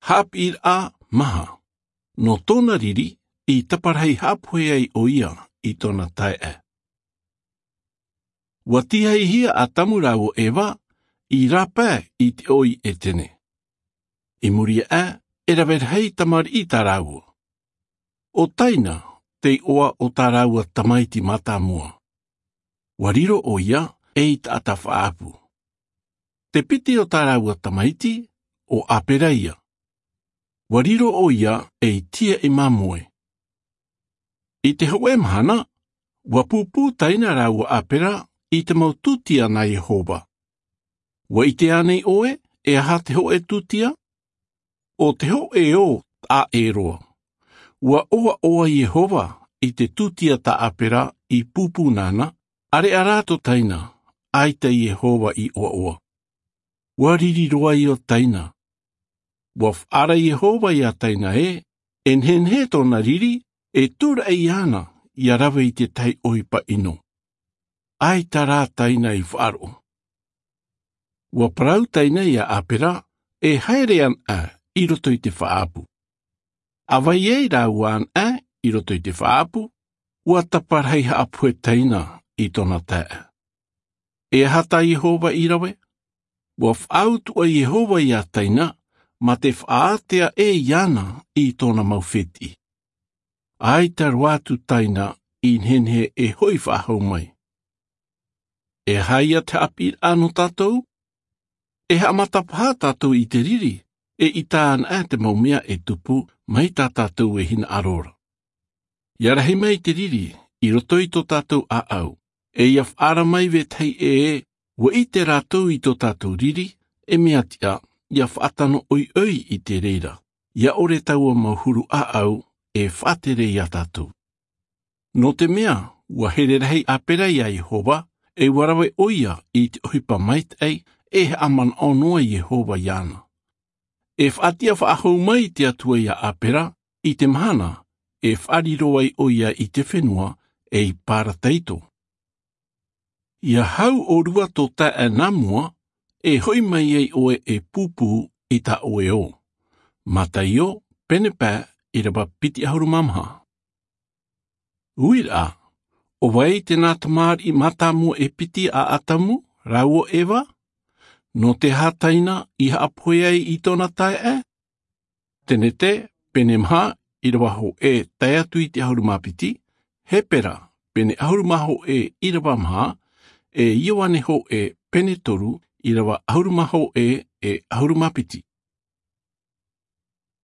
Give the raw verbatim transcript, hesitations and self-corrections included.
Haʻapiʻiraʻa maha. Nō tōna riri, i taparahi haʻapohe ai ʻo ia i tōna taeaʻe. Ua tīhaihia ʻo ʻatamu rāua ʻo eva i rāpae i te ʻoʻi ʻetene. I muri aʻe, e rave rahi tamariʻi tā rāua. ʻO taina te iʻoa o tā rāua tamaiti mātāmua. Ua riro ʻo ia ei taʻata faʻaʻapu. Te piti o tā rāua tamaiti, ʻo āpera ia. Ua riro ʻo ia ei tiaʻi māmoe. I te hōʻē mahana, ua pūpū taina rāua ʻo āpera i te mau tūtia nā iehova. Ua ʻite ānei ʻoe e aha te hōʻē tūtia? ʻO te hōʻē ō taʻa ʻē roa. Ua ʻoaʻoa iehova i te tūtia tā āpera i pūpū nāna. ʻAreʻa rā tō taina, ʻaita iehova i ʻoaʻoa. Ua riri roa ʻo taina. Ua faʻaara iehova iā taina ē, e nehenehe tōna riri e tūraʻi iāna ia rave i te tahi ʻohipa ʻino. ʻAita rā taina i faʻaroʻo. Ua parau taina iā āpera e haere anaʻe i roto i te faʻaʻapu. ʻA vai ai rāua anaʻe i roto i te faʻaʻapu, ua taparahi haʻapohe taina i tōna taeaʻe. E aha tā iehova i rave? Ua faʻautuʻa iehova iā taina mā te faʻaātea ʻē iāna i tōna mau fētiʻi. ʻAita roa atu taina i nehenehe e hoʻi faʻahou mai. E aha ia te haʻapiʻiraʻa nō tātou? E haʻamata paha tātou i te riri e ʻita anaʻe te mau mea e tupu mai tā tātou e hinaʻaro ra. Ia rahi mai te riri i roto i tō tātou ʻāʻau, e ia faʻaara mai vetahi ʻē ua ʻite rātou i tō tātou riri, e mea tiʻa ia faʻatano ʻoiʻoi i te reira. Ia ʻore taua mau huru ʻāʻau e faʻatere iā tātou. Nō te mea ua here rahi āpera iā iehova, e ua rave ʻo ia i te ʻohipa maitaʻi e haʻamanaʻo noa iehova iāna. E faʻatiʻa faʻahou mai te atua iā āpera i te mahana e faʻariro ai ʻo ia i te fenua ei parataito. Ia hau ʻōrua tō taeaʻe nā mua, e hoʻi mai ai ʻoe e pūpū i tā ʻoe ō. Mataio pene pae, ʻirava piti ʻahuru mā maha. Uiraʻa, ʻo vai tēnā tamariʻi mātāmua e piti a ʻatamu rāua ʻo eva? Nō te aha taina i haʻapohe ai i tōna taeaʻe? Tenete pene maha, ʻirava hōʻē tae atu i te ʻahuru mā piti. Hepera pene ʻahuru mā hōʻē, ʻirava maha. E ioane hōʻē pene toru, ʻirava ʻahuru mā hōʻē e ʻahuru mā piti.